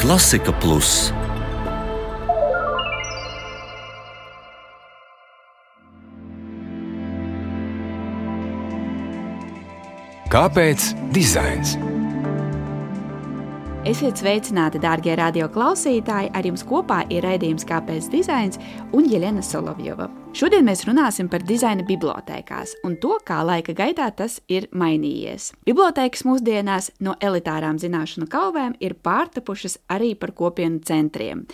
Klasika Plus. Kāpēc dizains? Esiet sveicināti, dārgie radioklausītāji! Ar jums kopā ir raidījums Kāpēc dizains un Jeļena Solovjova. Šodien mēs runāsim par dizaina bibliotēkās un to, kā laika gaitā tas ir mainījies. Bibliotēkas mūsdienās no elitārām zināšanu kauvēm ir pārtapušas arī par kopienu centriem,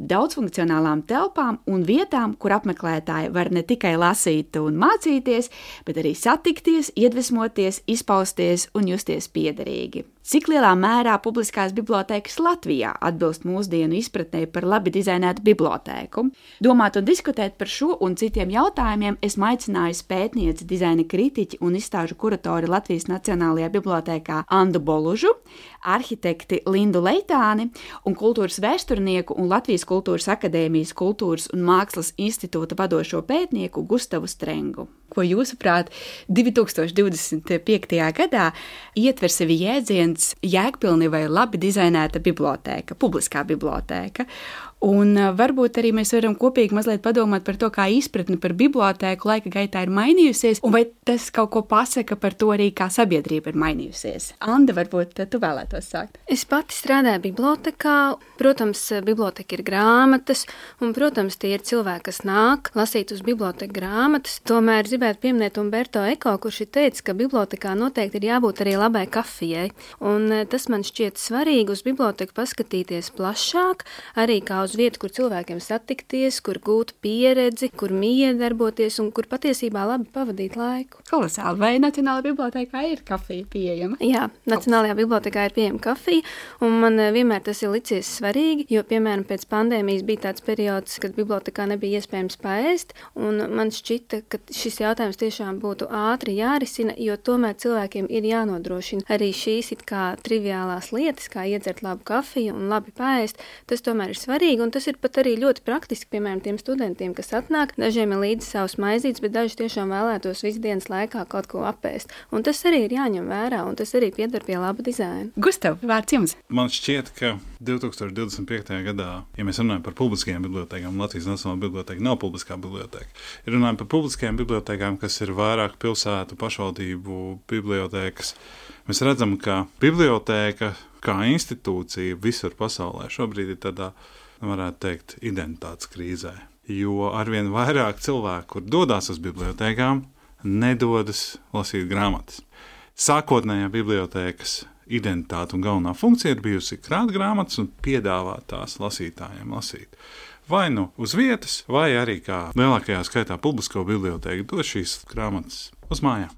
daudzfunkcionālām telpām un vietām, kur apmeklētāji var ne tikai lasīt un mācīties, bet arī satikties, iedvesmoties, izpausties un justies piederīgi. Cik lielā mērā publiskās bibliotēkas Latvijā atbilst mūsdienu izpratnē par labi dizainētu bibliotēku? Domāt un diskutēt par šo un citiem jautājumiem esmu aicinājusi pētnieci, dizaina kritiķi un izstāžu kuratori Latvijas Nacionālajā bibliotēkā Andu Bolužu, arhitekti Lindu Leitāni un kultūras vēsturnieku un Latvijas Kultūras akadēmijas Kultūras un Mākslas institūta vadošo pētnieku Gustavu Strengu. Ko jūsuprāt, 2025. gadā ietver sevi jēdziens jēgpilni vai labi dizainēta bibliotēka, publiskā bibliotēka. Un varbūt arī mēs varam kopīgi mazliet padomāt par to, kā izpratne par bibliotēku laika gaitā ir mainījusies, un vai tas kaut ko pasaka par to arī, kā sabiedrība ir mainījusies. Anda, varbūt tu vēlētos sākt. Es pati strādāju bibliotekā. Protams, biblioteka ir grāmatas, un, protams, tie ir cilvēki, kas nāk lasīt uz biblioteku grāmatas. Tomēr gribētu pieminēt Umberto Eko, kurš ir teicis, ka bibliotekā noteikti ir jābūt arī labai kafijai. Un tas man šķiet svarīgi uz biblioteku paskatīties plašāk, arī kā uz vietu, kur cilvēkiem satikties, kur gūt pieredzi, kur miedarboties un kur patiesībā labi pavadīt laiku. Kolosāli. Vai Nacionālajā bibliotēkā ir kafija pieejama? Jā, Nacionālajā bibliotekā ir pieejama kafija, un man vienmēr tas ir licies svarīgi, jo, piemēram, pēc pandēmijas bija tāds periods, kad bibliotekā nebija iespējams paēst, un man šķita, ka šis jautājums tiešām būtu ātri jārisina, jo tomēr cilvēkiem ir jānodrošina arī šīs it kā triviālās lietas, kā iedzert labu kafiju un labi paēst. Tas tomēr ir svarīgi. Un tas ir pat arī ļoti praktiski, piemēram, tiem studentiem, kas atnāk. Dažiem ir līdzi savs maizītes, bet daži tiešām vēlētos visu dienas laikā kaut ko apēst. Un tas arī ir jāņem vērā, un tas arī pieder pie laba dizaina. Gustav, vārds jums. Man šķiet, ka 2025. gadā, ja mēs runājam par publiskajām bibliotēkām, Latvijas Nacionālā bibliotēka nav publiskā bibliotēka. Ja runājam par publiskajām bibliotēkām, kas ir vairāk pilsētu pašvaldību bibliotēkas, mēs redzam, ka bibliotēka kā institūcija visur pasaulē šobrīd ir tādā, varētu teikt, identitātes krīzē. Jo arvien vairāk cilvēku, kur dodas uz bibliotēkām, nedodas lasīt grāmatas. Sākotnējā bibliotēkas identitāte un galvenā funkcija ir bijusi krāt grāmatas un piedāvāt tās lasītājiem lasīt. Vai nu uz vietas, vai arī kā lielākajā skaitā publisko bibliotēku dod šīs grāmatas uz mājām.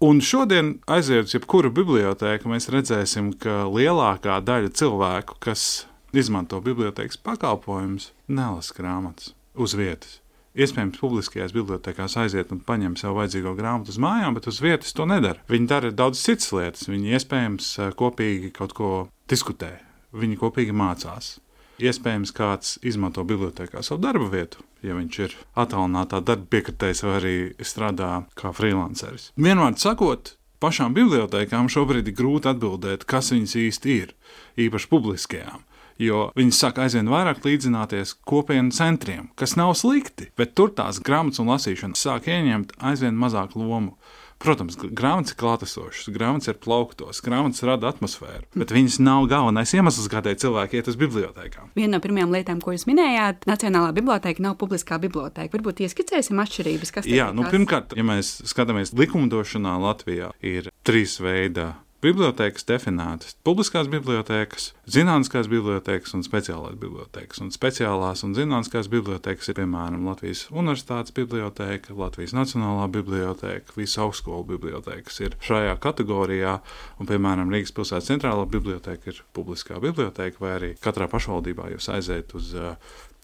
Un šodien, aiziet uz jebkuru bibliotēku, mēs redzēsim, ka lielākā daļa cilvēku, kas izmanto bibliotēkas pakalpojumus, nelasa grāmatas uz vietas. Iespējams, publiskajās bibliotēkās aiziet un paņem sev vajadzīgo grāmatu uz mājām, bet uz vietas to nedara. Viņi dara daudz citas lietas. Viņi iespējams kopīgi kaut ko diskutē. Viņi kopīgi mācās. Iespējams, kāds izmanto bibliotēkā savu darba vietu, ja viņš ir attālinātā darba piekritējs vai arī strādā kā freelanceris. Vienmēr sakot, pašām bibliotēkām šobrīd ir grūti atbildēt, kas viņas īsti ir, īpaši publiskajām. Jo viņi sāk aizvien vairāk līdzināties kopienu centriem, kas nav slikti, bet tur tās grāmatas un lasīšana sāk ieņemt aizvien mazāku lomu. Protams, grāmatas ir klātesošas, grāmatas ir plauktos, grāmatas rada atmosfēru, bet viņas nav galvenais iemesls, kādēļ cilvēki iet uz bibliotēkām. Viena no pirmajām lietām, ko jūs minējāt, Nacionālā bibliotēka nav publiskā bibliotēka. Varbūt ieskicēsim atšķirības, kas Jā, pirmkārt, ja mēs skatāmies likumdošanā Latvijā, ir 3 veidi bibliotēkas definētas - publiskās bibliotēkas, zinātniskās bibliotēkas un speciālās bibliotēkas. Un speciālās un zinātniskās bibliotēkas ir, piemēram, Latvijas Universitātes bibliotēka, Latvijas Nacionālā bibliotēka, visas augstskolu bibliotēkas ir šajā kategorijā, un, piemēram, Rīgas pilsētas centrālā bibliotēka ir publiskā bibliotēka, vai arī katrā pašvaldībā jūs aiziet uz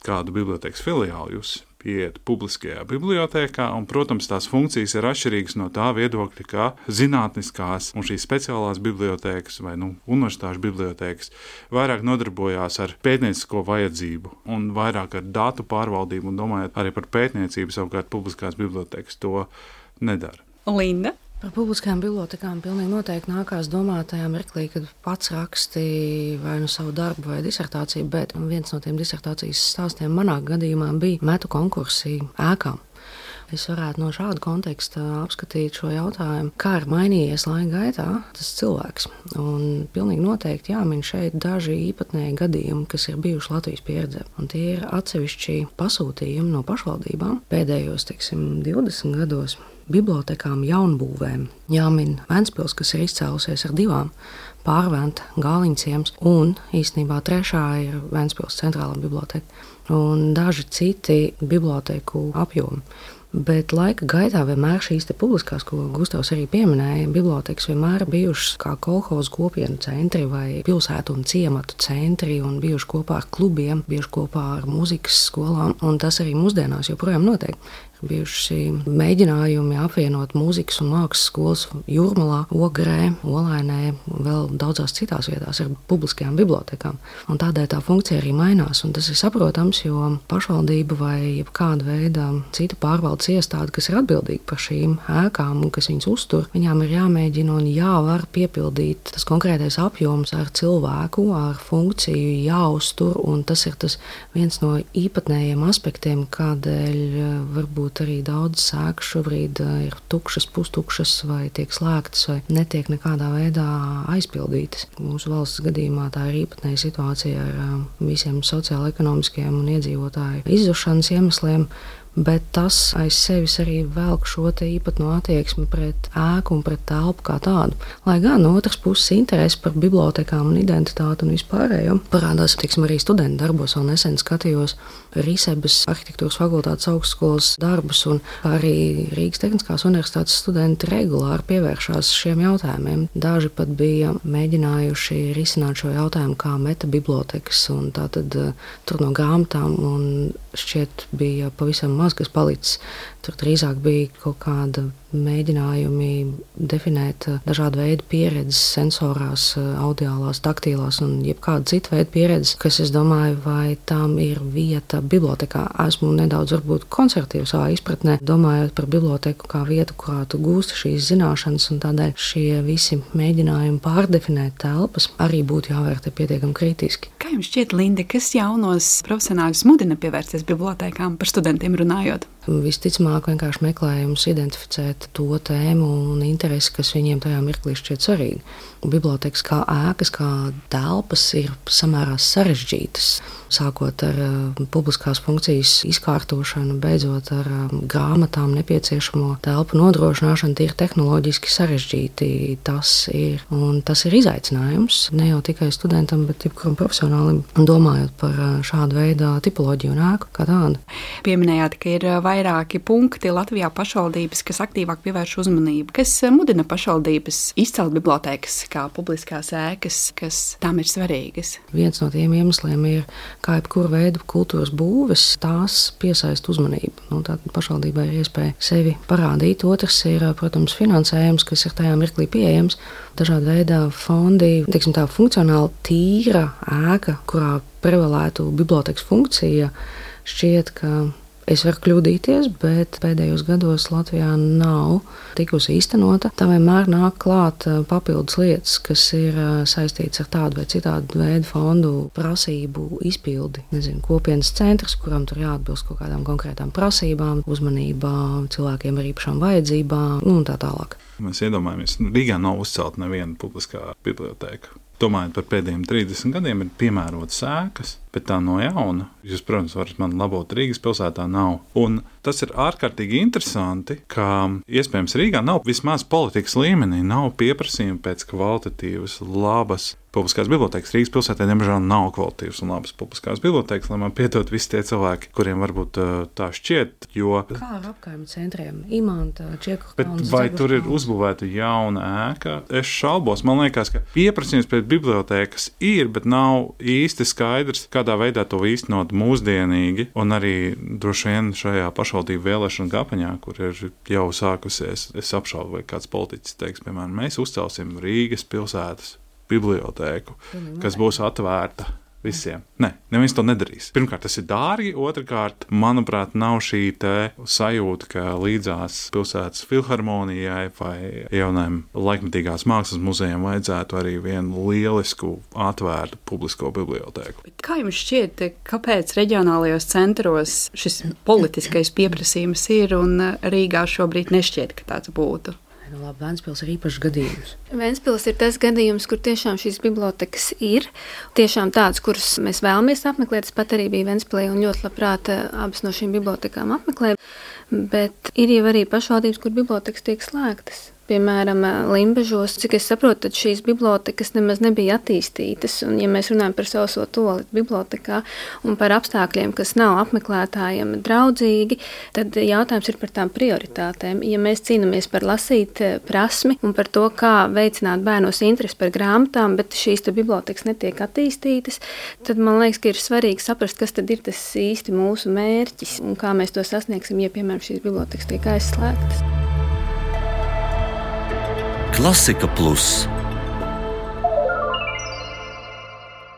kādu bibliotēkas filiālu, jūs iet publiskajā bibliotēkā, un, protams, tās funkcijas ir atšķirīgas no tā viedokļa, kā zinātniskās un šīs speciālās bibliotēkas vai universitāšu bibliotēkas vairāk nodarbojās ar pētniecisko vajadzību un vairāk ar datu pārvaldību un domājot arī par pētniecību, savukārt publiskās bibliotēkas to nedara. Linda? Par publiskajām bibliotekām pilnīgi noteikti nākās domāt tajā mirklī, kad pats rakstīja vai nu savu darbu vai disertāciju, bet viens no tiem disertācijas stāstiem manā gadījumā bija metu konkursi ēkām. Es varētu no šāda konteksta apskatīt šo jautājumu, kā ir mainījies laika gaitā tas cilvēks. Un pilnīgi noteikti jāmin šeit daži īpatnēji gadījumi, kas ir bijuši Latvijas pieredzē. Un tie ir atsevišķi pasūtījumi no pašvaldībām pēdējos, 20 gados. Bibliotekām jaunbūvēm jāmin Ventspils, kas ir izcēlusies ar 2 - Pārventa, Gāliņciems, un īstenībā 3. ir Ventspils centrālā biblioteka, un daži citi biblioteku apjomi. Bet laika gaitā vienmēr šīs publiskās, ko Gustavs arī pieminēja, bibliotekas vienmēr bijušas kā kolhozu kopienu centri vai pilsētu un ciematu centri un bijuši kopā ar klubiem, bijuši kopā ar mūzikas skolām, un tas arī mūsdienās joprojām notiek. Bijuši mēģinājumi apvienot mūzikas un mākslas skolas Jūrmalā, Ogrē, Olainē un vēl daudzās citās vietās ar publiskajām bibliotekām. Un tādēļ tā funkcija arī mainās, un tas ir saprotams, jo pašvaldība vai kāda veida cita pārvaldes iestāde, kas ir atbildīga par šīm ēkām un kas viņas uztur, viņām ir jāmēģina un jāvar piepildīt tas konkrētais apjoms ar cilvēku, ar funkciju jāuztur, un tas ir tas viens no īpatnējiem aspektiem, kādēļ varbūt arī daudz ēku šobrīd ir tukšas, pustukšas vai tiek slēgtas vai netiek nekādā veidā aizpildītas. Mūsu valsts gadījumā tā ir īpatnēja situācija ar visiem sociālo-ekonomiskiem un iedzīvotāju izzušanas iemesliem, bet tas aiz sevis arī velk šo īpatno attieksmi pret ēku un pret telpu kā tādu. Lai gan no otras puses interesi par bibliotekām un identitāti un vispārējo parādās, arī studentu darbos. Vēl nesen skatījos Risebes arhitektūras fakultātes augstskolas darbus, un arī Rīgas Tehniskās universitātes studenti regulāri pievēršās šiem jautājumiem. Daži pat bija mēģinājuši risināt šo jautājumu kā metabibliotekas, un tātad tur no grāmatām, un šķiet bija pavisam maz, kas palicis. Tur drīzāk bija kaut kāda mēģinājumi definēt dažādu veidu pieredzes sensorās, audiālās, taktīlās un jebkāda cita veida pieredzes, kas, es domāju, vai tam ir vieta bibliotekā. Esmu nedaudz varbūt konservatīva savā izpratnē, domājot par biblioteku kā vietu, kurā tu gūsti šīs zināšanas, un tādēļ šie visi mēģinājumi pārdefinēt telpas arī būtu jāvērtē pietiekami kritiski. Kā jums šķiet, Linda, kas jaunos profesionāļus mudina pievērsties bibliotekām par studentiem runājot? Visticamāk, vienkārši meklējums identificēt to tēmu un interesi, kas viņiem tajā mirklī šķiet svarīgi. Bibliotekas kā ēkas, kā telpas ir samērā sarežģītas. Sākot ar publiskās funkcijas izkārtošanu, beidzot ar grāmatām nepieciešamo telpu nodrošināšanu, tie ir tehnoloģiski sarežģīti. Tas ir izaicinājums ne jau tikai studentam, bet jebkuram profesionālim, domājot par šādu veidu tipoloģiju un ēku kā tādu. Pieminējāt, ka ir vairāki punkti Latvijā pašvaldības, kas aktīvāk pievērš uzmanību. Kas mudina pašvaldības izcelt bibliotekas kā publiskās ēkas, kas tām ir svarīgas? Viens no tiem iemesliem ir, kā jebkura veida kultūras būves, tās piesaista uzmanību. Tātad pašvaldībai ir iespēja sevi parādīt. Otrs ir, protams, finansējums, kas ir tajā mirklī pieejams. Dažādi veidā fondi, tā funkcionāli tīra ēka, kurā prevalētu bibliotekas funkcija, šķiet, ka es varu kļūdīties, bet pēdējos gados Latvijā nav tikusi īstenota. Tā vienmēr nāk klāt papildus lietas, kas ir saistītas ar tādu vai citādu veidu fondu prasību izpildi. Kopienas centrs, kuram tur jāatbilst kaut kādām konkrētām prasībām, uzmanībā cilvēkiem ar īpašām vajadzībām un tā tālāk. Mēs iedomājamies, Rīgā nav uzcelta neviena publiskā biblioteka. Domājot par pēdējiem 30 gadiem, ir piemērotas ēkas, bet tā no jauna. Jūs, protams, varat man labot, Rīgas pilsētā nav. Un tas ir ārkārtīgi interesanti, ka iespējams Rīgā nav vismaz politikas līmenī, nav pieprasījumi pēc kvalitatīvas, labas publiskās bibliotekas. Rīgas pilsētā, diemžēl, nav kvalitatīvas un labas publiskās bibliotekas, lai man piedod visi tie cilvēki, kuriem varbūt tā šķiet, jo... Kā ar apkaimju centriem? Imanta, Čieku kalns. Bet vai tur ir uzbūvēta jauna ēka? Es šaubos. Man liekas, ka pieprasījums pēc bibliotekas ir, bet nav īsti skaidrs, kādā veidā to īstenot mūsdienīgi, un arī droši vien šajā pašvaldību vēlēšanu kampaņā, kur ir jau sākusies, es apšaubu, vai kāds politiķis teiks, piemēram, mēs uzcelsim Rīgas pilsētas bibliotēku, kas būs atvērta visiem. Nē, neviens to nedarīs. Pirmkārt, tas ir dārgi, otrkārt, manuprāt, nav šī sajūta, ka līdzās pilsētas filharmonijai vai jaunajam laikmetīgās mākslas muzejam vajadzētu arī vienu lielisku atvērtu publisko bibliotēku. Kā jums šķiet, kāpēc reģionālajos centros šis politiskais pieprasījums ir un Rīgā šobrīd nešķiet, ka tāds būtu? Labi, Ventspils ir īpašs gadījums. Ventspils ir tas gadījums, kur tiešām šīs bibliotekas ir. Tiešām tādas, kuras mēs vēlamies apmeklēt. Es pat arī biju Ventspilī un ļoti labprāt abas no šīm bibliotekām apmeklēju. Bet ir jau arī pašvaldības, kur bibliotekas tiek slēgtas. Piemēram, Limbažos, cik es saprotu, tad šīs bibliotekas nemaz nebija attīstītas. Un, ja mēs runājam par sauso toleti bibliotekā un par apstākļiem, kas nav apmeklētājiem draudzīgi, tad jautājums ir par tām prioritātēm. Ja mēs cīnāmies par lasīt prasmi un par to, kā veicināt bērnos interesi par grāmatām, bet šīs bibliotekas netiek attīstītas, tad man liekas, ka ir svarīgi saprast, kas tad ir tas īsti mūsu mērķis un kā mēs to sasniegsim, ja, piemēram, šīs bibliotekas tiek aizslēgtas. Klasika Plus.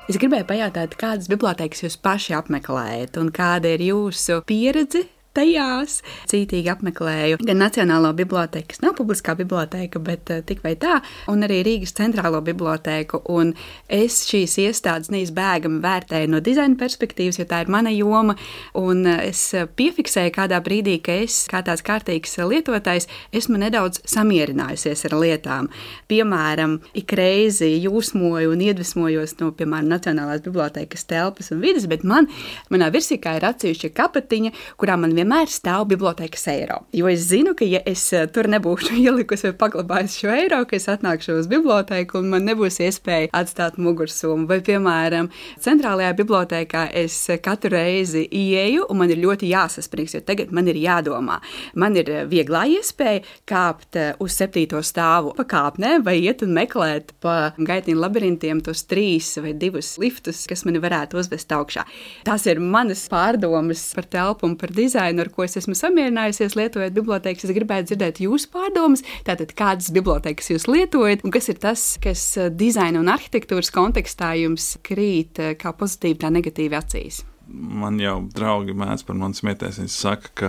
Es gribēju pajautāt, kādas bibliotēkas jūs paši apmeklējat un kāda ir jūsu pieredze tajās. Cītīgi apmeklēju gan Nacionālo bibliotēku, kas nav publiskā bibliotēka, bet tik vai tā, un arī Rīgas centrālo bibliotēku. Un es šīs iestādes neizbēgami vērtēju no dizaina perspektīvas, jo tā ir mana joma. Un es piefiksēju kādā brīdī, ka es, kā tāds kārtīgs lietotājs, esmu nedaudz samierinājusies ar lietām. Piemēram, ik reizi jūsmoju un iedvesmojos no, piemēram, Nacionālās bibliotēkas telpas un vidas, bet manā virsīkā ir atsevišķa kapatiņa, kurā man vienmēr stāv bibliotēkas eiro. Jo es zinu, ka ja es tur nebūšu ielikusi vai paglabājusi šo eiro, ka es atnākšu uz bibliotēku un man nebūs iespēja atstāt mugursomu. Vai, piemēram, centrālajā bibliotēkā es katru reizi ieeju un man ir ļoti jāsasprings, jo tagad man ir jādomā. Man ir vieglā iespēja kāpt uz 7. stāvu pa kāpnēm vai iet un meklēt pa gaitņu labirintiem tos 3 vai 2 liftus, kas mani varētu uzvest augšā. Tās ir manas pārdomas par telpu un par dizainu, ar ko es esmu samierinājusies lietojot bibliotēkas. Es gribētu dzirdēt jūsu pārdomas, tātad kādas bibliotēkas jūs lietojat un kas ir tas, kas dizaina un arhitektūras kontekstā jums krīt kā pozitīvi, tā negatīvi acīs. Man jau draugi mēdz par mani smieties, viņi saka, ka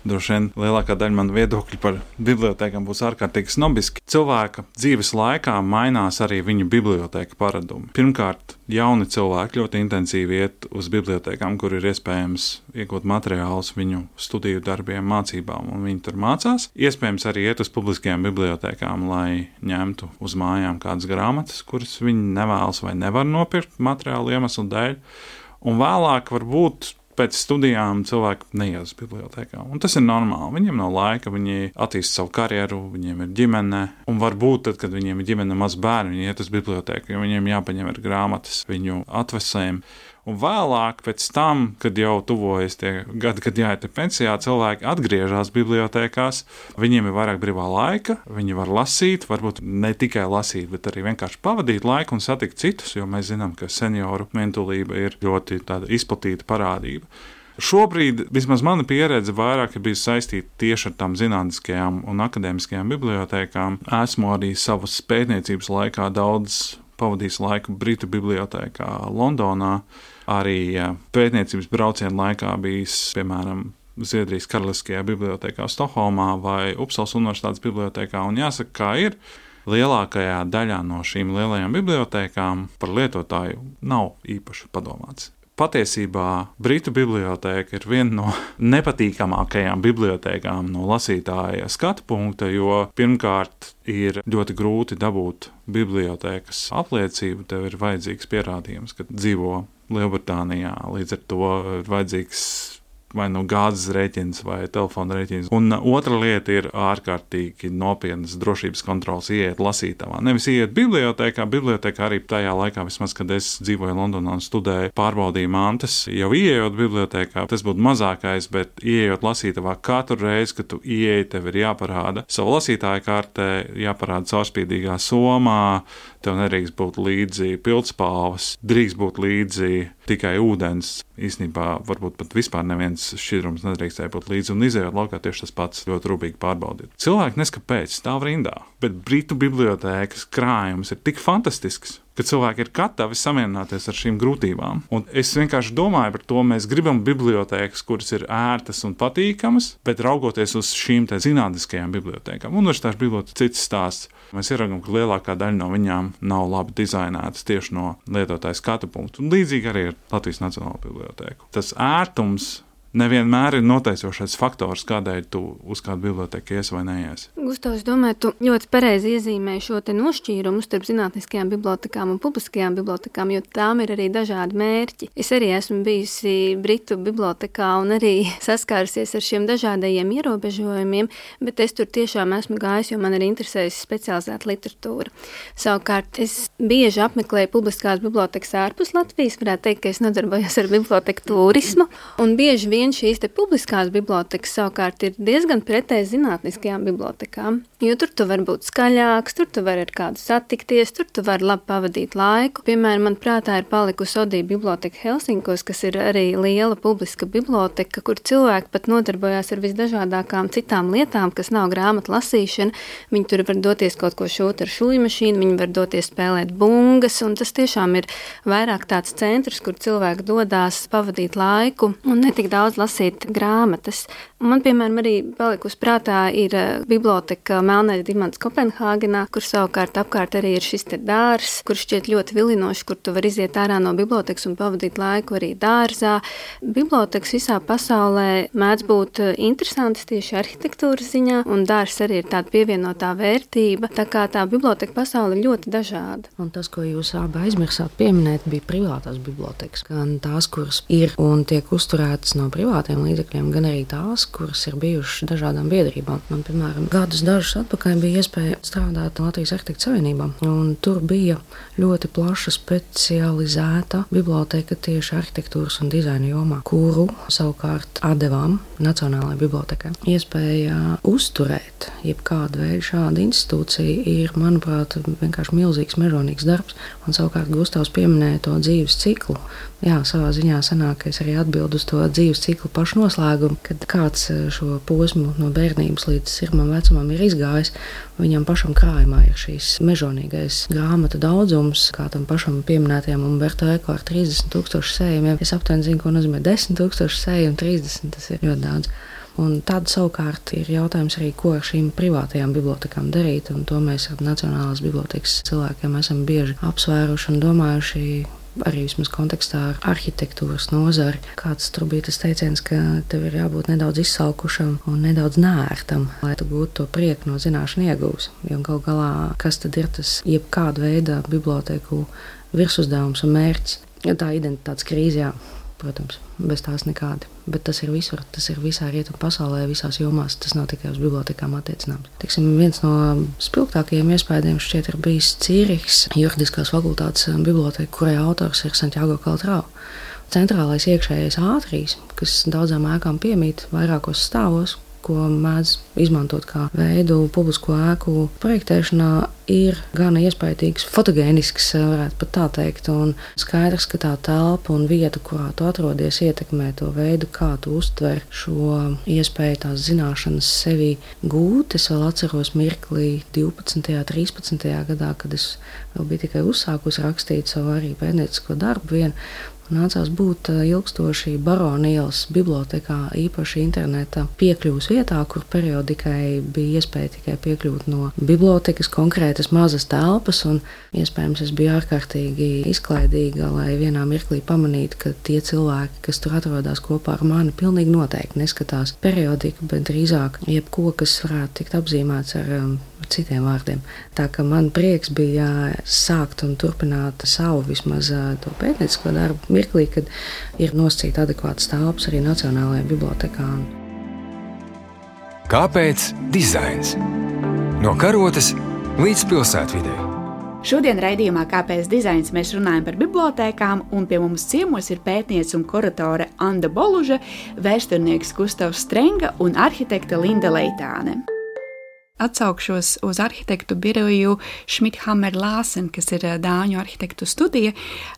droši vien lielākā daļa manu viedokļu par bibliotēkām būs ārkārtīgi snobiski. Cilvēka dzīves laikā mainās arī viņu bibliotēka paradumi. Pirmkārt, jauni cilvēki ļoti intensīvi iet uz bibliotēkām, kur ir iespējams iegūt materiālus viņu studiju darbiem, mācībām, un viņi tur mācās. Iespējams arī iet uz publiskajām bibliotēkām, lai ņemtu uz mājām kādas grāmatas, kuras viņi nevēlas vai nevar nopirkt materiālu iemeslu dēļ. Un vēlāk varbūt pēc studijām cilvēki neiet uz bibliotēkām. Un tas ir normāli. Viņiem nav laika, viņi attīsta savu karjeru, viņiem ir ģimene. Un varbūt tad, kad viņiem ir ģimene maz bērni, viņi iet uz bibliotēku, jo viņiem jāpaņem ir grāmatas viņu atvesēm. Un vēlāk, pēc tam, kad jau tuvojas tie gadi, kad jāiet pensijā, cilvēki atgriežas bibliotēkās, viņiem ir vairāk brīvā laika, viņi var lasīt, varbūt ne tikai lasīt, bet arī vienkārši pavadīt laiku un satikt citus, jo mēs zinām, ka senioru mentulība ir ļoti tāda izplatīta parādība. Šobrīd, vismaz mana pieredze, vairāk ir bijusi saistīta tieši ar tām zinātniskajām un akadēmiskajām bibliotēkām. Esmu arī savas pētniecības laikā daudz pavadījis laiku Britu bibliotēkā Londonā. Arī pētniecības braucienu laikā bijis, piemēram, Zviedrijas Karaliskajā bibliotēkā Stokholmā vai Upsalas Universitātes bibliotēkā. Un jāsaka, kā ir, lielākajā daļā no šīm lielajām bibliotēkām par lietotāju nav īpaši padomāts. Patiesībā Britu bibliotēka ir viena no nepatīkamākajām bibliotēkām no lasītāja skatu punkta, jo pirmkārt ir ļoti grūti dabūt bibliotēkas apliecību. Tev ir vajadzīgs pierādījums, ka dzīvo Lielbritānijā, līdz ar to ir vajadzīgs vai no gāzes rēķins vai telefona rēķins. Un otra lieta ir ārkārtīgi nopietnas drošības kontrols ieiet lasītavā. Nevis ieiet bibliotēkā arī tajā laikā, vismaz, kad es dzīvoju Londonā un studēju, pārbaudīju mantas. Jau ieiejot bibliotēkā, tas būtu mazākais, bet ieiejot lasītavā katru reizi, kad tu ieeji, tev ir jāparāda savu lasītāju kartē, jāparāda caurspīdīgā somā, tev nedrīkst būt līdzi pildspalvas, drīkst būt līdzi tikai ūdens. Īstenībā varbūt pat vispār neviens šķidrums nedrīkstēja būt līdzi, un izējot laukā tieši tas pats ļoti rūpīgi pārbaudīt. Cilvēki neskapēc stāv rindā, bet Britu bibliotēkas krājums ir tik fantastisks, ka cilvēki ir gatavi samierināties ar šīm grūtībām. Un es vienkārši domāju par to, mēs gribam bibliotēkas, kuras ir ērtas un patīkamas, bet raugoties uz šīm te zinātniskajām bibliotēkām. Universitāšu bibliotēkas cits stāsts. Mēs ieraugam, ka lielākā daļa no viņām nav labi dizainētas tieši no lietotāja skatu punktu. Un līdzīgi arī ir Latvijas Nacionālā bibliotēka. Tas ērtums nevienmēr ir noteicošais faktors, kādēļ tu uz kādu bibliotēku ies vai neies. Gustav, es domāju, tu ļoti pareizi iezīmēji šo te nošķīrumu starp zinātniskajām bibliotekām un publiskajām bibliotekām, jo tām ir arī dažādi mērķi. Es arī esmu bijusi Britu bibliotekā un arī saskārusies ar šiem dažādajiem ierobežojumiem, bet es tur tiešām esmu gājis, jo man ir interesējusi specializēta literatūra. Savukārt, es bieži apmeklēju publiskās bibliotekas ārpus Latvijas, varētu teikt, ka es nodarbojos ar biblioteku turismu, un bieži vien šīs te publiskās bibliotekas savukārt ir diezgan pretēji zinātniskajām bibliotekām, jo tur tu vari būt skaļāks, tur tu vari ar kādu satikties, tur tu vari labi pavadīt laiku. Piemēram, man prātā ir palikusi Odija biblioteka Helsinkos, kas ir arī liela publiska biblioteka, kur cilvēki pat nodarbojās ar visdažādākām citām lietām, kas nav grāmatu lasīšana. Viņi tur var doties kaut ko šūt ar šūjmašīnu, viņi var doties spēlēt bungas, un tas tiešām ir vairāk tāds centrs, kur cilvēki dodās pavadīt laiku un netik daudz lasīt grāmatas. Man, piemēram, arī palikusi prātā ir biblioteka Melnais dimants Kopenhāgenā, kur savukārt apkārt arī ir šis te dārs, kur šķiet ļoti vilinoši, kur tu var iziet ārā no bibliotekas un pavadīt laiku arī dārzā. Bibliotekas visā pasaulē mēdz būt interesantas tieši arhitektūras ziņā, un dārs arī ir tāda pievienotā vērtība, tā kā tā biblioteka pasaule ir ļoti dažāda. Un tas, ko jūs abi aizmirsāt pieminēt, bija privātās bibliotekas, gan tās, kuras ir un tiek uzturētas no privātiem līdzekļiem, gan arī tās, kuras ir bijušas dažādām biedrībām. Man, piemēram, dažus atpakaļ bija iespēja strādāt Latvijas Arhitektu Savienībā, un tur bija ļoti plaša specializēta biblioteka tieši arhitektūras un dizaina jomā, kuru savukārt atdevām Nacionālajai bibliotekai. Iespēja uzturēt jebkādu veidu šādu institūciju ir, manuprāt, vienkārši milzīgs, mežonīgs darbs, un savukārt Gustavs pieminēja to dzīves ciklu. Jā, savā ziņā sanāk, ka es arī atbildu uz to dzīves ciklu pašu noslēgumu, kad kāds šo posmu no bērnības līdz sirmam vecumam ir izgājis, viņam pašam krājumā ir šīs mežonīgais grāmatu daudzums, kā tam pašam pieminētajam Umberto Eco ar 30,000 sējumiem. Es aptuveni zinu, ko nozīmē 10,000 sējumu, 30, tas ir ļoti daudz. Un tad savukārt ir jautājums arī, ko ar šīm privātajām bibliotekām darīt, un to mēs ar Nacionālās bibliotekas cilvēkiem esam bieži apsvēruši un domājuši, arī vismaz kontekstā ar arhitektūras nozari. Kāds tur bija tas teiciens, ka tev ir jābūt nedaudz izsalkušam un nedaudz nērtam, lai tu gūtu to prieku no zināšanu iegūs. Jo gal galā, kas tad ir tas jebkāda veida biblioteku virsuzdevums un mērķis? Ja tā identitātes krīze, jā, protams, bez tās nekādi. Bet tas ir visur, tas ir visā rietumu pasaulē, visās jomās, tas nav tikai uz bibliotekām attiecināms. Teiksim, viens no spilgtākajiem iespējām šķiet ir bijis Cīrihas juridiskās fakultātes biblioteka, kurai autors ir Santiago Caltrau. Centrālais iekšējais ātrijs, kas daudzām ēkām piemīt vairākos stāvos, ko mēdz izmantot kā veidu publisko ēku projektēšanā, ir gana iespaidīgs, fotogēnisks, varētu pat tā teikt, un skaidrs, ka tā telpa un vieta, kurā tu atrodies, ietekmē to veidu, kā tu uztver šo iespēju tās zināšanas sevī gūt. Es vēl atceros mirklī 12. 13. gadā, kad es vēl biju tikai uzsākusi rakstīt savu arī pētniecisko darbu vienu, nācās būt ilgstoši Barona ielas bibliotekā, īpaši interneta piekļuvas vietā, kur periodikai bija iespēja tikai piekļūt no bibliotekas konkrētas mazas telpas, un iespējams es biju ārkārtīgi izklaidīga, lai vienā mirklī pamanītu, ka tie cilvēki, kas tur atrodas kopā ar mani, pilnīgi noteikti neskatās periodiku, bet drīzāk jebko, kas varētu tikt apzīmēts ar citiem vārdiem. Tā ka man prieks bija sākt un turpināt savu vismaz to pētniecisko darbu mirklī, kad ir nosacīta adekvātas telpas arī Nacionālajā bibliotekā. Kāpēc dizains? No karotes līdz pilsētvidei. Šodien raidījumā Kāpēc dizains mēs runājam par bibliotēkām, un pie mums ciemos ir pētniece un kuratore Anda Boluža, vēsturnieks Gustavs Strenga un arhitekte Linda Leitāne. Atsaukšos uz arhitektu biroju Schmidhammer Larsen, kas ir dāņu arhitektu studija,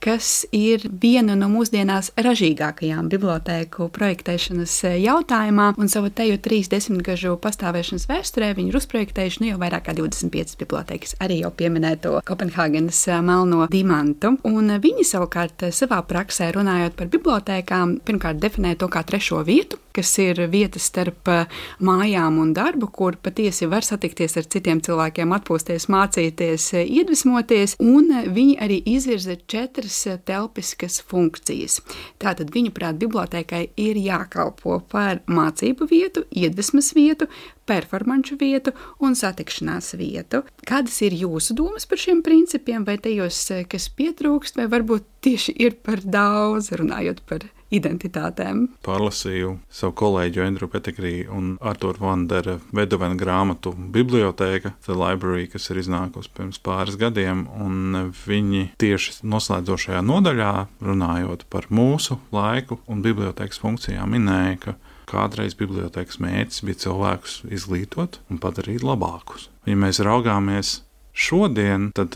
kas ir viena no mūsdienās ražīgākajām bibliotēku projektēšanas jautājumā, un savu teju 30 gažu pastāvēšanas vēsturē viņi ir uzprojektējuši jau vairāk kā 25 bibliotēkas, arī jau pieminēto Kopenhāgenes melno dimantu. Un viņi savukārt savā praksē runājot par bibliotēkām, pirmkārt definē to kā trešo vietu, kas ir vieta starp mājām un darbu, kur patiesi var satikties ar citiem cilvēkiem, atpūsties, mācīties, iedvesmoties, un viņi arī izvirza 4 telpiskas funkcijas. Tātad viņuprāt bibliotēkai ir jākalpo par mācību vietu, iedvesmas vietu, performanču vietu un satikšanās vietu. Kādas ir jūsu domas par šiem principiem, vai tajos, kas pietrūkst, vai varbūt tieši ir par daudz, runājot par identitātēm? Pārlasīju savu kolēģu Andrew Pettigrew un Arthur Vandera Vedovena grāmatu Bibliotēka, The Library, kas ir iznākusi pirms pāris gadiem, un viņi tieši noslēdzošajā nodaļā, runājot par mūsu laiku un bibliotēkas funkcijām, minēja, ka kādreiz bibliotēkas mērķis bija cilvēkus izglītot un padarīt labākus. Ja mēs raugāmies šodien, tad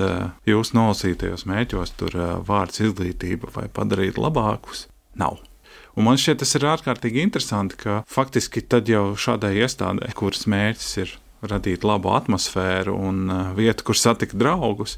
jūs nolasītajos mērķos tur vārds izglītība vai padarīt labākus nav. Un man šķiet, tas ir ārkārtīgi interesanti, ka faktiski tad jau šādai iestādē, kuras mērķis ir radīt labu atmosfēru un vietu, kur satikt draugus.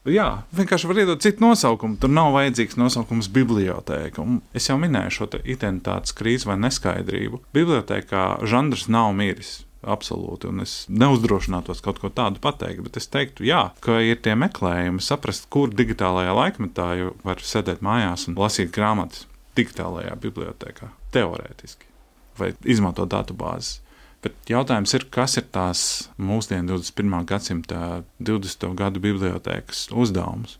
Jā, vienkārši var iedot citu nosaukumu. Tur nav vajadzīgs nosaukums bibliotēka. Un es jau minēju šo identitātes krīzi vai neskaidrību. Bibliotēkā žanrs nav miris. Absolūti, un es neuzdrošinātos kaut ko tādu pateikt, bet es teiktu, jā, ka ir tie meklējumi saprast, kur digitālajā laikmetā var sēdēt mājās un lasīt grāmatas digitālajā bibliotēkā, teorētiski, vai izmantot datubāzes. Bet jautājums ir, kas ir tās mūsdienu 21. gadsimta 20. gadu bibliotēkas uzdevums?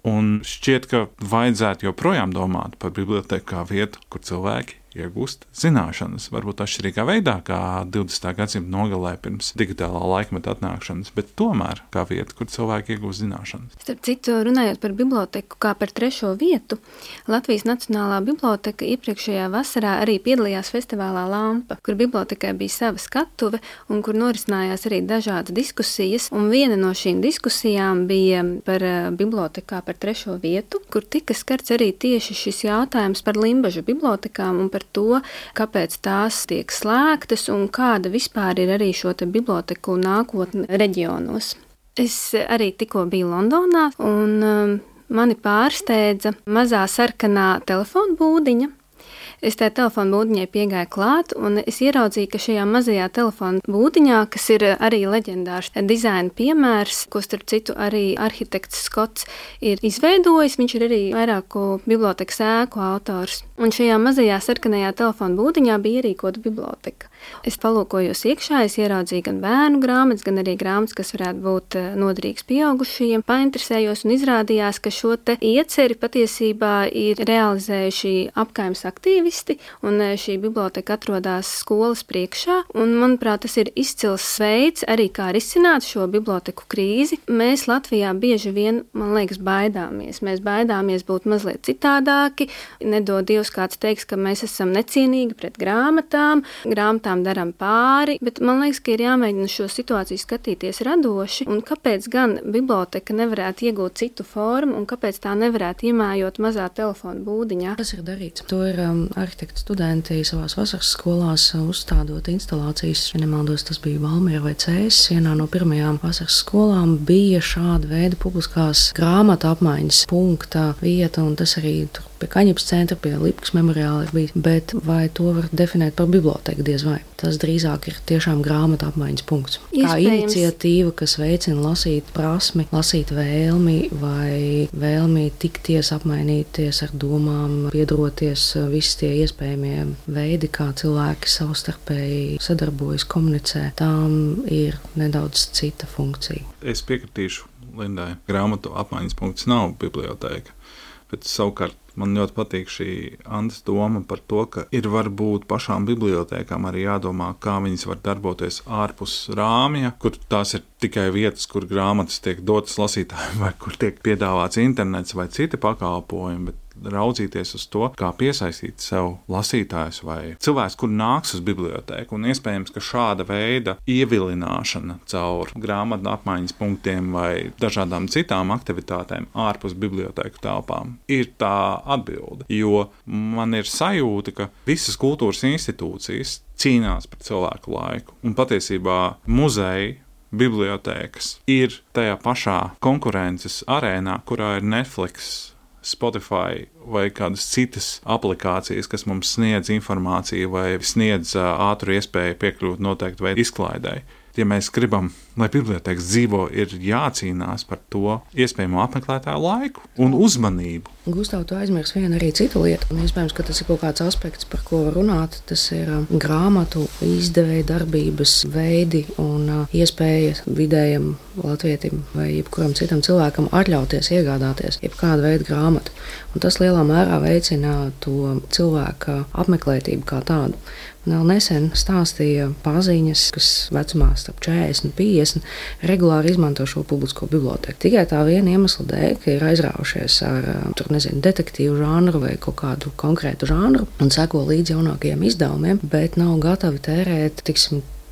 Un šķiet, ka vajadzētu joprojām domāt par bibliotēku kā vietu, kur cilvēki iegūst zināšanas, varbūt atšķirīgā veidā, kā 20. gadsimta nogalē pirms digitālā laikmeta atnākšanas, bet tomēr kā vieta, kur cilvēki iegūst zināšanas. Starp citu, runājot par biblioteku kā par trešo vietu, Latvijas Nacionālā biblioteka iepriekšējā vasarā arī piedalījās festivālā Lampa, kur bibliotekai bija sava skatuve un kur norisinājās arī dažādas diskusijas, un viena no šīm diskusijām bija par biblioteku kā par trešo vietu, kur tika skarts arī tieši šis jautājums par Limbažu bibliotekām un par to, kāpēc tās tiek slēgtas un kāda vispār ir arī šo te biblioteku nākotne reģionos. Es arī tikko biju Londonā un mani pārsteidza mazā sarkanā telefona būdiņa. Es tajā telefona būdiņai piegāju klāt, un es ieraudzīju, ka šajā mazajā telefona būdiņā, kas ir arī leģendārs dizaina piemērs, ko starp citu arī arhitekts Skots ir izveidojis, viņš ir arī vairāku bibliotekas ēku autors. Un šajā mazajā sarkanajā telefona būdiņā bija ierīkota biblioteka. Es palūkojos iekšā, es ieraudzīju gan bērnu grāmatas, gan arī grāmatas, kas varētu būt noderīgas pieaugušajiem. Painteresējos un izrādījās, ka šo te ieceri patiesībā ir realizējuši apkaimes aktīvisti, un šī biblioteka atrodas skolas priekšā. Un, manuprāt, tas ir izcils veids arī kā risināt šo biblioteku krīzi. Mēs Latvijā bieži vien, man liekas, baidāmies. Mēs baidāmies būt mazliet citādāki. Nedod Dievs, kāds teiks, ka mēs esam necienīgi pret grāmatām daram pāri, bet man liekas, ka ir jāmēģina šo situāciju skatīties radoši, un kāpēc gan biblioteka nevarētu iegūt citu formu, un kāpēc tā nevarētu iemājot mazā telefona būdiņā. Tas ir darīts. To ir arhitektu studenti savās vasaras skolās uzstādot instalācijas. Ja nemaldos, tas bija Valmiera vai Cēsis. Vienā no pirmajām vasaras skolām bija šāda veida publiskās grāmatu apmaiņas punkta vieta, un tas arī tur pie Kaņepes centra, pie Lipkas memoriāla ir bijis. Bet vai to var definēt par biblioteku, diez vai? Tas drīzāk ir tiešām grāmatu apmaiņas punkts. Kā iniciatīva, kas veicina lasīt prasmi, lasīt vēlmi vai vēlmi tikties, apmainīties ar domām, piedaroties, visi tie iespējamie veidi, kā cilvēki savstarpēji sadarbojas, komunicē, tām ir nedaudz cita funkcija. Es piekritīšu Lindai. Grāmatu apmaiņas punkts nav biblioteka, bet savukārt man ļoti patīk šī Andas doma par to, ka ir varbūt pašām bibliotēkām arī jādomā, kā viņas var darboties ārpus rāmja, kur tās ir tikai vietas, kur grāmatas tiek dotas lasītājiem vai kur tiek piedāvāts internets vai citi pakalpojumi, bet raudzīties uz to, kā piesaistīt sev lasītājus vai cilvēks, kur nāks uz bibliotēku. Un iespējams, ka šāda veida ievilināšana caur grāmatu apmaiņas punktiem vai dažādām citām aktivitātēm ārpus bibliotēku telpām ir tā atbilde. Jo man ir sajūta, ka visas kultūras institūcijas cīnās par cilvēku laiku. Un patiesībā muzeji, bibliotēkas ir tajā pašā konkurences arēnā, kurā ir Netflix, Spotify vai kādas citas aplikācijas, kas mums sniedz informāciju vai sniedz ātru iespēju piekļūt noteiktu veidu izklaidei. Ja mēs gribam, lai bibliotēkas dzīvo, ir jācīnās par to iespējamo apmeklētāju laiku un uzmanību. Gustav, tu aizmirsti vienu arī citu lietu, un iespējams, ka tas ir kaut kāds aspekts, par ko runāt. Tas ir grāmatu izdevēja darbības veidi un iespēja vidējam latvietim vai jebkuram citam cilvēkam atļauties iegādāties jebkādu veidu grāmatu. Un tas lielā mērā veicina to cilvēka apmeklētību kā tādu. Vēl nesen stāstīja paziņas, kas vecumā starp 40 un 50 regulāri izmanto šo publisko bibliotēku. Tikai tā viena iemesla dēļ, ka ir aizraujušies ar detektīvu žanru vai kaut kādu konkrētu žanru un seko līdz jaunākajiem izdevumiem, bet nav gatavi tērēt,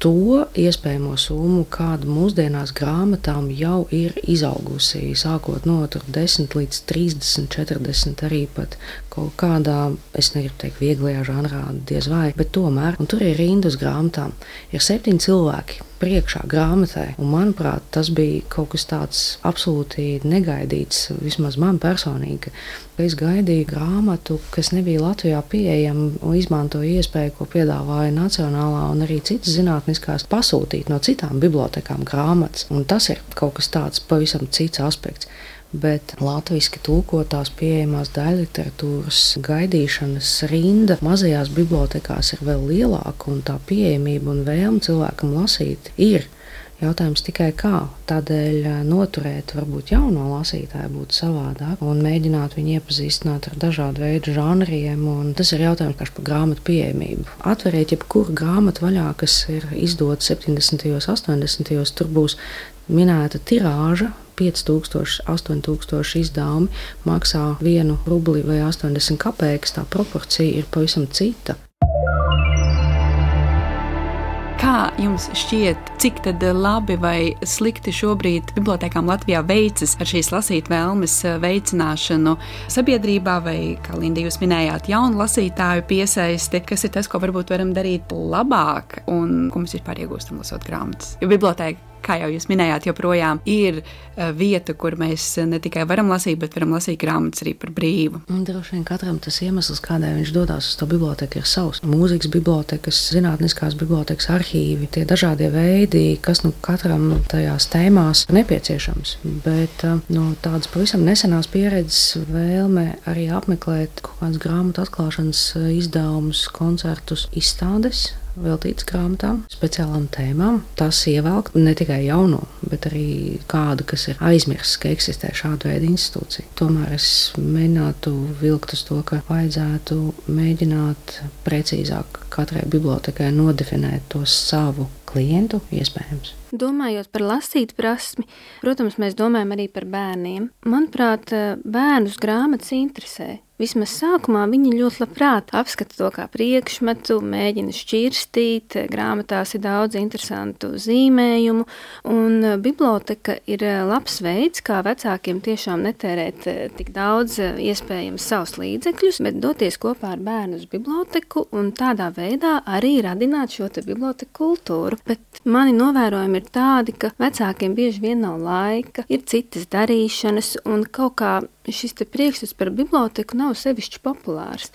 to iespējamo summu, kāda mūsdienās grāmatām jau ir izaugusi, sākot no 10 līdz 30, 40, arī pat kaut kādā, es negribu teikt, vieglajā žanrā, diez vai, bet tomēr, un tur ir rinda uz grāmatām, ir 7 cilvēki priekšā grāmatai, un manuprāt, tas bija kaut kas tāds absolūti negaidīts, vismaz man personīgi, ka es gaidīju grāmatu, kas nebija Latvijā pieejama, un izmantoju iespēju, ko piedāvāja Nacionālā un arī citas zinātniskās, pasūtīt no citām bibliotekām grāmatas, un tas ir kaut kas tāds pavisam cits aspekts. Bet latviski tulkotās pieejamās daļliteratūras gaidīšanas rinda mazajās bibliotekās ir vēl lielāka, un tā pieejamība un vēlme cilvēkam lasīt ir. Jautājums tikai kā. Tādēļ noturēt varbūt jauno lasītāju būtu savādāk un mēģināt viņu iepazīstināt ar dažādu veidu žanriem, un tas ir jautājums par grāmatu pieejamību. Atveriet jebkuru grāmatu vaļā, kas ir izdota 70. un 80. Tur būs minēta tirāža, 5000, 8000 izdevumi maksā 1 rubli vai 80 kapeikas, tā proporcija ir pavisam cita. Kā jums šķiet, cik tad labi vai slikti šobrīd bibliotēkām Latvijā veicas ar šīs lasīt vēlmes veicināšanu sabiedrībā, vai, kā Linda jūs minējāt, jaunu lasītāju piesaisti, kas ir tas, ko varbūt varam darīt labāk un ko mēs vispār iegūstam lasot grāmatas? Jo bibliotēka, kā jau jūs minējāt, joprojām ir vieta, kur mēs ne tikai varam lasīt, bet varam lasīt grāmatas arī par brīvu. Un droši vien katram tas iemesls, kādēļ viņš dodas uz to bibliotēku, ir savs. Mūzikas bibliotekas, zinātniskās bibliotekas, arhīvi, tie dažādie veidi, kas katram tajās tēmās nepieciešams. Bet no tādas pavisam nesenās pieredzes vēlme arī apmeklēt kaut kādas grāmatu atklāšanas izdevumus, koncertus, izstādes, veltītas grāmatām, speciālām tēmām. Tas ievelk ne tikai jauno, bet arī kādu, kas ir aizmirsts, ka eksistē šāda veida institūcija. Tomēr es mēģinātu vilkt uz to, ka vajadzētu mēģināt precīzāk katrai bibliotekai nodefinēt to savu klientu iespējams. Domājot par lasīt prasmi, protams, mēs domājam arī par bērniem. Manuprāt, bērnus grāmatas interesē. Vismaz sākumā viņi ļoti labprāt apskata to kā priekšmetu, mēģina šķirstīt, grāmatās ir daudz interesantu zīmējumu, un biblioteka ir labs veids, kā vecākiem tiešām netērēt tik daudz iespējams savus līdzekļus, bet doties kopā ar bērnu uz biblioteku un tādā veidā arī radināt šo te biblioteku kultūru. Bet mani novērojumi ir tādi, ka vecākiem bieži vien nav laika, ir citas darīšanas un kaut kā šis te priekšstats par biblioteku nav sevišķi populārs.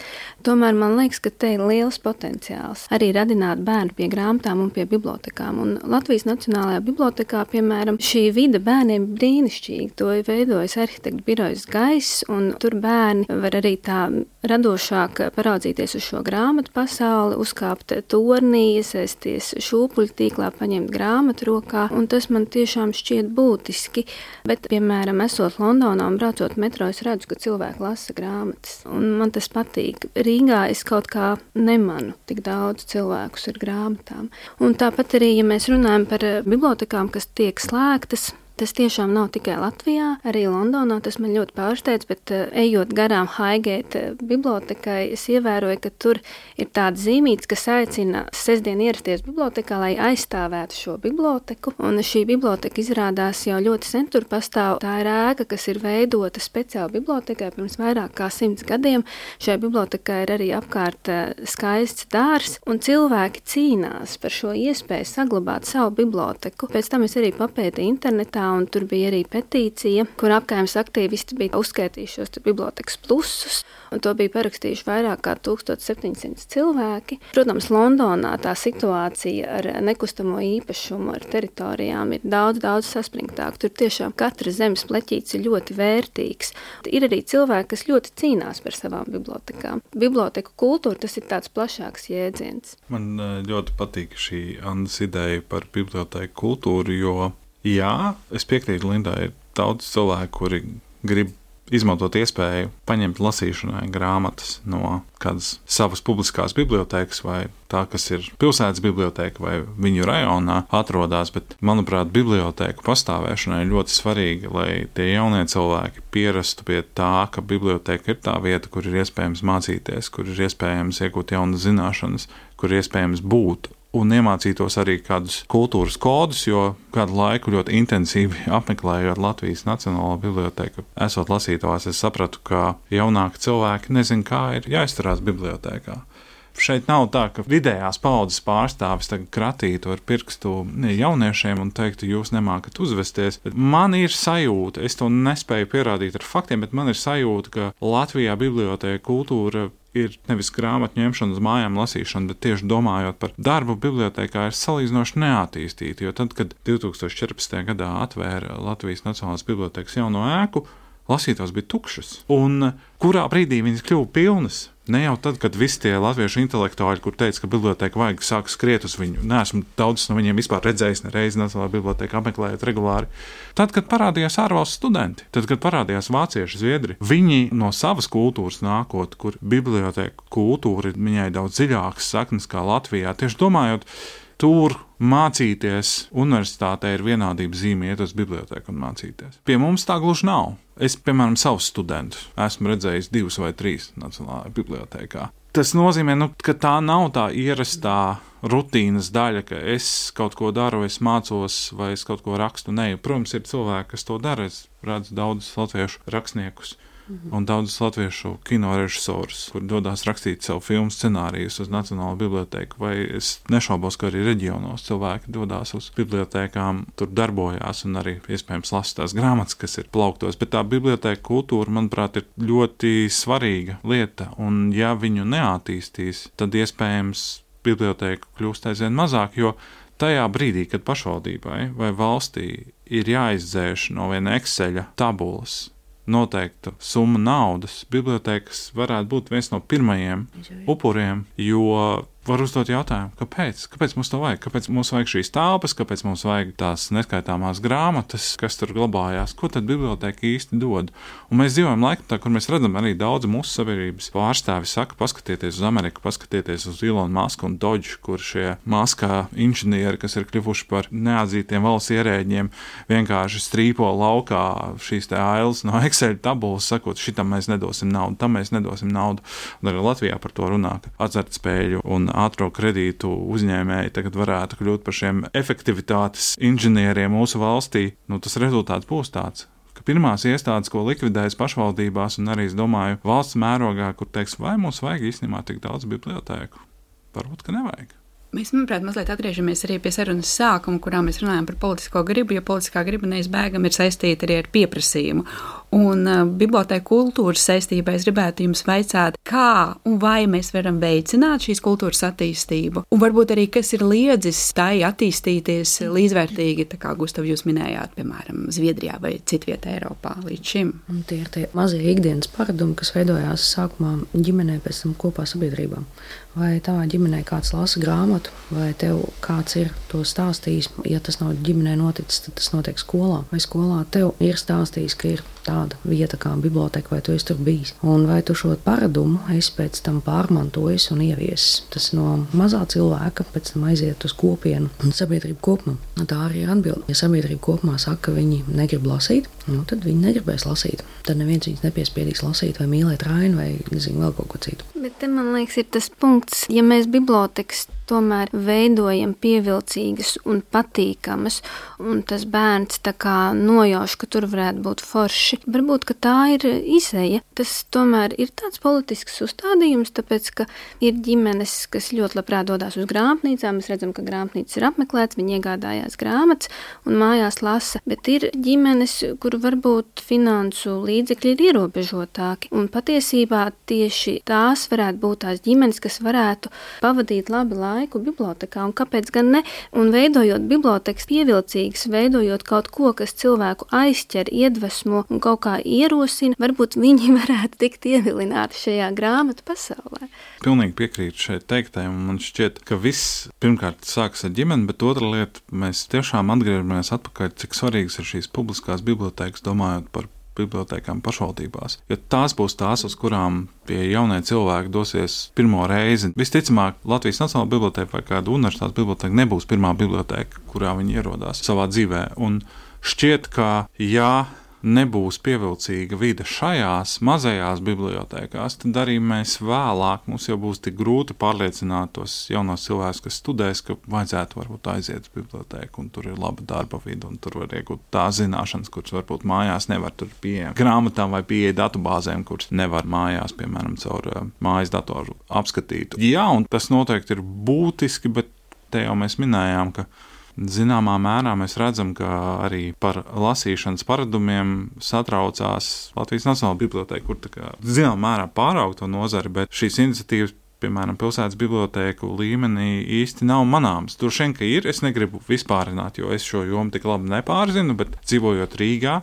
Tomēr man liekas, ka te ir liels potenciāls arī radināt bērnu pie grāmatām un pie bibliotekām. Un Latvijas Nacionālajā bibliotekā, piemēram, šī vide bērniem ir brīnišķīga. To ir veidojis arhitektu birojas Gaiss, un tur bērni var arī tā radošāk paraudzīties uz šo grāmatu pasauli, uzkāpt tornī, iesaisties šūpuļu tīklā, paņemt grāmatu rokā, un tas man tiešām šķiet būtiski. Bet, piemēram, esot Londonā un braucot metro, es redzu, ka cilvēki lasa grāmatas, un man tas patīk. Rīgā es kaut kā nemanu tik daudz cilvēkus ar grāmatām. Un tāpat arī, ja mēs runājam par bibliotekām, kas tiek slēgtas, Tas tiešām nav tikai Latvijā, arī Londonā tas man ļoti pārsteidz, bet ejot garām Highgate bibliotekai, es ievēroju, ka tur ir tāda zīmītes, kas aicina sestdien ierasties bibliotekā, lai aizstāvētu šo biblioteku. Un šī biblioteka izrādās jau ļoti sen tur pastāv. Tā ir ēka, kas ir veidota speciāli bibliotekai pirms vairāk kā 100 gadiem. Šajā bibliotekā ir arī apkārt skaists dārs, un cilvēki cīnās par šo iespēju saglabāt savu biblioteku. Pēc tam es arī papētīju internetā, un tur bija arī petīcija, kur apkaimes aktīvisti bija uzskaitījuši šos bibliotekas plusus, un to bija parakstījuši vairāk kā 1700 cilvēki. Protams, Londonā tā situācija ar nekustamo īpašumu, ar teritorijām ir daudz saspringtāk. Tur tiešām katra zemes pleķītis ir ļoti vērtīgs. Ir arī cilvēki, kas ļoti cīnās par savām bibliotekām. Biblioteku kultūra, tas ir tāds plašāks jēdziens. Man ļoti patīk šī Annas ideja par biblioteku kultūru, jo jā, es piekrītu Lindai, ir daudz cilvēku, kuri grib izmantot iespēju paņemt lasīšanai grāmatas no kādas savas publiskās bibliotēkas vai tā, kas ir pilsētas bibliotēka vai viņu rajonā atrodas, bet, manuprāt, bibliotēku pastāvēšanai ir ļoti svarīgi, lai tie jaunie cilvēki pierastu pie tā, ka bibliotēka ir tā vieta, kur ir iespējams mācīties, kur ir iespējams iegūt jaunas zināšanas, kur ir iespējams būt un iemācītos arī kādus kultūras kodus, jo kādu laiku ļoti intensīvi apmeklējot Latvijas Nacionālo bibliotēku, esot lasītājs, es sapratu, ka jaunāki cilvēki nezin, kā ir jāizturās bibliotēkā. Šeit nav tā, ka vidējās paudzes pārstāvis tagad kratītu ar pirkstu jauniešiem un teiktu, jūs nemākat uzvesties. Bet man ir sajūta, es to nespēju pierādīt ar faktiem, bet man ir sajūta, ka Latvijā bibliotēka kultūra ir nevis grāmatu ņemšana uz mājām lasīšana, bet tieši domājot par darbu bibliotēkā ir salīdzinoši neattīstīta, jo tad, kad 2014. gadā atvēra Latvijas Nacionālās bibliotēkas jauno ēku, lasītājs bija tukšas. Un kurā brīdī viņas kļuva pilnas? Ne jau tad, kad visi tie latviešu intelektuāļi, kur teica, ka bibliotēka vajag sāk skriet uz viņu, neesmu daudz no viņiem vispār redzējis nereizi Nacionālā bibliotēka apmeklējot regulāri. Tad, kad parādījās ārvalstu studenti, tad, kad parādījās vācieši, zviedri, viņi no savas kultūras nākot, kur bibliotēka kultūra ir viņai daudz dziļākas saknes kā Latvijā, tieši domājot, tur mācīties universitātē ir vienādības zīme iet uz bibliotēku un mācīties. Pie mums tā gluži nav. Es, piemēram, savus studentus esmu redzējis 2 vai 3 Nacionālajā bibliotēkā. Tas nozīmē, ka tā nav tā ierastā rutīnas daļa, ka es kaut ko daru, es mācos vai es kaut ko rakstu. Nē, protams, ir cilvēki, kas to dara. Es redzu daudzus latviešu rakstniekus un daudzus latviešu kino režisorus, kur dodās rakstīt savu filmu scenārijus uz Nacionālo bibliotēku, vai es nešaubos, ka arī reģionos cilvēki dodās uz bibliotēkām, tur darbojās un arī iespējams lasa tās grāmatas, kas ir plauktos, bet tā bibliotēka kultūra, manuprāt, ir ļoti svarīga lieta, un ja viņu neattīstīs, tad iespējams bibliotēka kļūst aizvien mazāk, jo tajā brīdī, kad pašvaldībai vai valstī ir jāizdzēš no viena Exceļa tabulas noteikta summa naudas, bibliotēkas varētu būt viens no pirmajiem upuriem, jo var uzdot jautājumu, kāpēc? Kāpēc mums to vajag? Kāpēc mums vajag šīs telpas? Kāpēc mums vajag tās neskaitāmās grāmatas, kas tur glabājās? Ko tad bibliotēka īsti dod? Un mēs dzīvojam laikmetā, kur mēs redzam arī daudz mūsu sabiedrības pārstāvi saka, paskatieties uz Ameriku, paskatieties uz Elonu Musku un Dodge, kur šie maskā inženieri, kas ir kļuvuši par neatzītiem valsts ierēģiem, vienkārši strīpo laukā šīs te ailes no Excel tabulas, sakot, šitam mēs nedosim naudu, tam mēs nedosim naudu. Un arī Latvijā par to runā, ka azartspēļu un ātro kredītu uzņēmēji tagad varētu kļūt par šiem efektivitātes inženieriem mūsu valstī. Tas rezultāts būs tāds, ka pirmās iestādes, ko likvidējas pašvaldībās un arī, es domāju, valsts mērogā, kur teiks, vai mums vajag īstenībā tik daudz bibliotēku? Varbūt, ka nevajag. Mēs, manuprāt, mazliet atgriežamies arī pie sarunas sākuma, kurā mēs runājam par politisko gribu, jo politiskā griba neizbēgami ir saistīta arī ar pieprasījumu. Un bibliotēka kultūras saistībā es gribētu jums vaicāt, kā un vai mēs varam veicināt šīs kultūras attīstību, un varbūt arī, kas ir liedzis tai attīstīties līdzvērtīgi, tā kā Gustav jūs minējāt, piemēram, Zviedrijā vai citvietā Eiropā līdz šim. Un tie ir tie mazie ikdienas paradumi, kas veidojās sākumā ģimenē, pēc tam kopā sabiedrībā. Vai tavā ģimenē kāds lasa grāmatu, vai tev kāds ir to stāstījis, ja tas nav ģimenē noticis, tad tas notiek skolā. Vai skolā tev ir stāstījis, ka ir tāda tāda vieta kā biblioteka, vai tu esi tur bijis. Un vai tu šo paradumu esi pēc tam pārmantojis un ieviesis. Tas no mazā cilvēka pēc tam aiziet uz kopienu un sabiedrību kopumā. Tā arī ir atbilde. Ja sabiedrība kopumā saka, ka viņi negrib lasīt, tad viņi negribēs lasīt. Tad neviens viņus nepiespiedīs lasīt vai mīlēt Rainu vai vēl kaut ko citu. Bet te, man liekas, ir tas punkts, ja mēs bibliotekas tomēr veidojam pievilcīgas un patīkamas, un tas bērns tā kā nojauš, ka tur varētu būt forši. Varbūt, ka tā ir izeja. Tas tomēr ir tāds politisks uzstādījums, tāpēc, ka ir ģimenes, kas ļoti labprāt dodās uz grāmatnīcām. Mēs redzam, ka grāmatnīcas ir apmeklēts, viņi iegādājās grāmatas un mājās lasa, bet ir ģimenes, kur varbūt finansu līdzekļi ir ierobežotāki, un patiesībā tieši tās varētu būt tās ģimenes, kas varētu pavadīt labi laiku bibliotekā, un kāpēc gan ne? Un veidojot bibliotekas pievilcīgas, veidojot kaut ko, kas cilvēku aizķer, iedvesmo un kaut kā ierosina, varbūt viņi varētu tikt ievilināti šajā grāmatu pasaulē. Pilnīgi piekrītu šeit teiktajam, un man šķiet, ka viss pirmkārt sākas ar ģimeni, bet otra lieta, mēs tiešām atgriežamies atpakaļ, cik svarīgas ir šīs publiskās bibliotekas, domājot par bibliotekām pašvaldībās. Jo tās būs tās, uz kurām pie jaunie cilvēki dosies pirmo reizi. Visticamāk, Latvijas Nacionālā biblioteka vai kāda universitātes biblioteka nebūs pirmā biblioteka, kurā viņi ierodās savā dzīvē. Un šķiet, ka nebūs pievilcīga vide šajās mazajās bibliotekās, tad arī mēs vēlāk, mums jau būs tik grūti pārliecināt tos jaunos cilvēkus, kas studēs, ka vajadzētu varbūt aiziet uz biblioteku, un tur ir laba darba vide, un tur var iegūt tās zināšanas, kuras varbūt mājās nevar tur pieejam grāmatām vai pieeja datubāzēm, kuras nevar mājās, piemēram, caur mājas datoru apskatīt. Jā, un tas noteikti ir būtiski, bet te jau mēs minējām, ka zināmā mērā mēs redzam, ka arī par lasīšanas paradumiem satraucās Latvijas Nacionālā biblioteka, kur tā kā zināmā mērā pārauga to nozari, bet šīs iniciatīvas, piemēram, pilsētas biblioteku līmenī īsti nav manāms. Droši vien, ka ir, es negribu vispārināt, jo es šo jomu tik labi nepārzinu, bet dzīvojot Rīgā,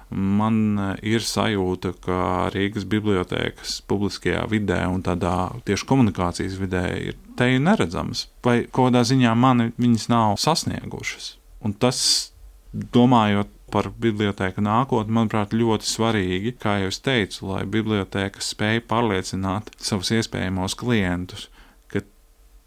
man ir sajūta, ka Rīgas bibliotekas publiskajā vidē un tādā tieši komunikācijas vidē ir teju neredzamas, vai kādā ziņā mani viņas nav sasniegušas. Un tas, domājot par biblioteku nākotni, manuprāt, ļoti svarīgi, kā jau es teicu, lai bibliotekas spēj pārliecināt savus iespējamos klientus, ka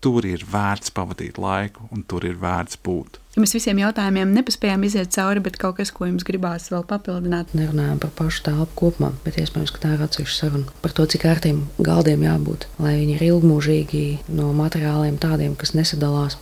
tur ir vērts pavadīt laiku un tur ir vērts būt. Ja mēs visiem jautājumiem nepaspējām iziet cauri, bet kaut kas, ko jums gribās vēl papildināt? Nerunājam par pašu telpu kopumā, bet iespējams, ka tā ir atsevišķa saruna par to, cik ērtiem galdiem jābūt, lai viņi ir ilgmūžīgi no materiāliem tādiem, kas nesadalās.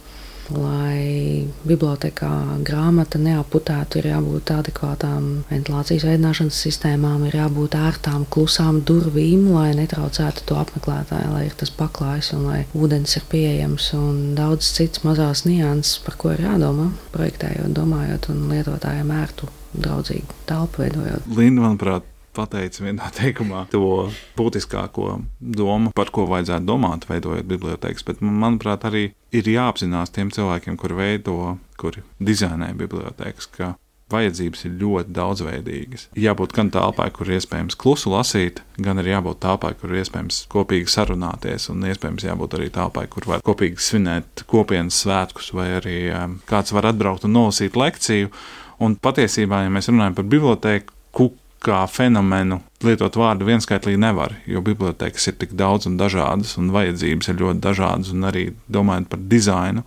Lai bibliotekā grāmata neaputētu, ir jābūt adekvātām ventilācijas veidināšanas sistēmām, ir jābūt ērtām, klusām durvīm, lai netraucētu to apmeklētāju, lai ir tas paklājs un lai ūdens ir pieejams un daudz cits mazās nianses, par ko ir jādomā, projektējot, domājot un lietotājiem ērtu, draudzīgu telpu veidojot. Linda, manuprāt, pateica vienā teikumā to būtiskāko domu, par ko vajadzētu domāt, veidojot bibliotekas, bet, manuprāt, arī ir jāapzinās tiem cilvēkiem, kuri dizainē bibliotekas, ka vajadzības ir ļoti daudzveidīgas. Jābūt gan telpai, kur ir iespējams klusu lasīt, gan arī jābūt telpai, kur ir iespējams kopīgi sarunāties, un iespējams jābūt arī telpai, kur var kopīgi svinēt kopienas svētkus, vai arī kāds var atbraukt un nolasīt lekciju. Un patiesībā, ja mēs runājam par biblioteku, kā fenomenu lietot vārdu vienskaitlīgi nevar, jo bibliotekas ir tik daudz un dažādas, un vajadzības ir ļoti dažādas, un arī domājot par dizainu,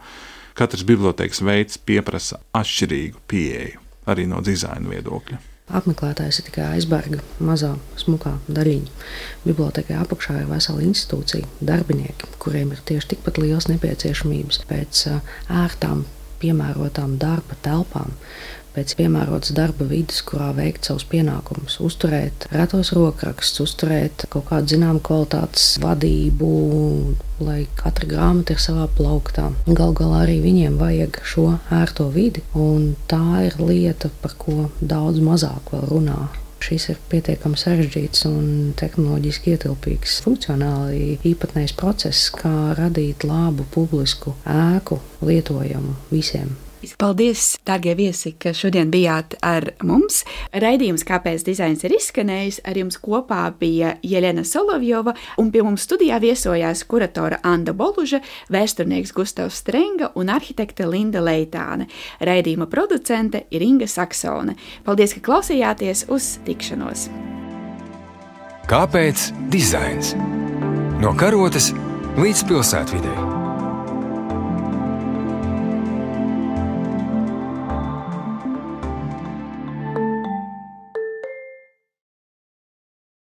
katrs bibliotekas veids pieprasa atšķirīgu pieeju, arī no dizaina viedokļa. Apmeklētājs ir tikai aizberga mazā, smukā daļiņa. Bibliotekai apakšā ir vesela institūcija, darbinieki, kuriem ir tieši tikpat liels nepieciešamības pēc ērtām, piemērotām darba telpām, pēc piemērotas darba vidas, kurā veikt savus pienākumus, uzturēt retos rokrakstus, uzturēt kaut kādu zināmu kvalitātes vadību, lai katra grāmata ir savā plauktā. Galu galā arī viņiem vajag šo ērto vidi, un tā ir lieta, par ko daudz mazāk vēl runā. Šis ir pietiekami sarežģīts un tehnoloģiski ietilpīgs, funkcionāli īpatnējs process, kā radīt labu publisku ēku lietojamu visiem. Paldies, dārgie viesi, ka šodien bijāt ar mums. Raidījums Kāpēc dizains ir izskanējis. Ar jums kopā bija Jelena Solovjova, un pie mums studijā viesojās kuratora Anda Boluža, vēsturnieks Gustavs Strenga un arhitekte Linda Leitāne. Raidījuma producente ir Inga Saksone. Paldies, ka klausījāties. Uz tikšanos! Kāpēc dizains? No karotes līdz pilsētvidei.